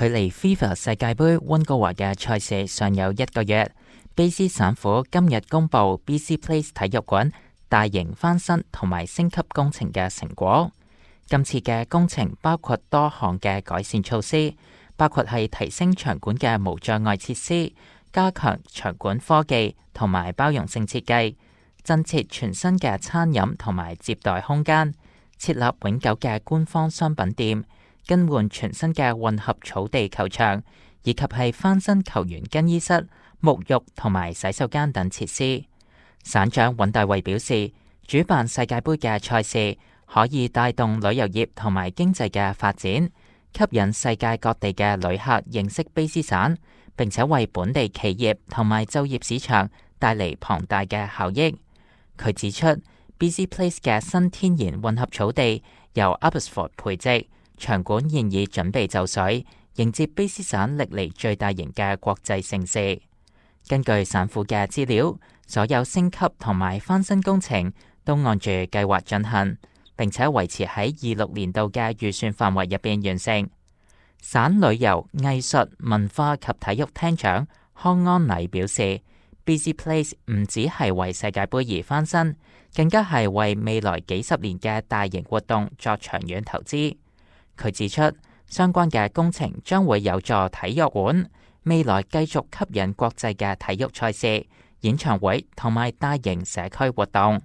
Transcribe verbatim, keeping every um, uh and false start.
距離 FIFA 世界盃溫哥華嘅賽事尚有一個月，卑詩省府今日公布 B C Place 體育館大型翻新同埋升級工程嘅成果。今次嘅工程包括多項嘅改善措施，包括係提升場館嘅無障礙設施，加強場館科技同埋包容性設計，增設全新嘅餐飲同埋接待空間，設立永久嘅官方商品店，更換全新嘅混合草地球場，以及係翻新球員更衣室、沐浴同埋洗手間等設施。省長尹大維表示，主辦世界盃嘅賽事可以帶動旅遊業同埋經濟嘅發展，吸引世界各地嘅旅客認識卑詩省，並且為本地企業同埋就業市場帶嚟龐大嘅效益。佢指出 ，B C Place 嘅新天然混合草地由 Abbotsford 培植。場館現已準備就緒，迎接卑詩省歷嚟最大型嘅國際盛事。根據省府嘅資料，所有升級同埋翻新工程都按住計劃進行，並且維持喺二六年度嘅預算範圍入邊完成。省旅遊、藝術、文化及體育廳長康安禮表示 ，B C Place 唔只係為世界盃而翻新，更加係為未來幾十年嘅大型活動作長遠投資。佢指出，相關嘅工程將會有助體育館未來繼續吸引國際嘅體育賽事、演唱會同埋大型社區活動。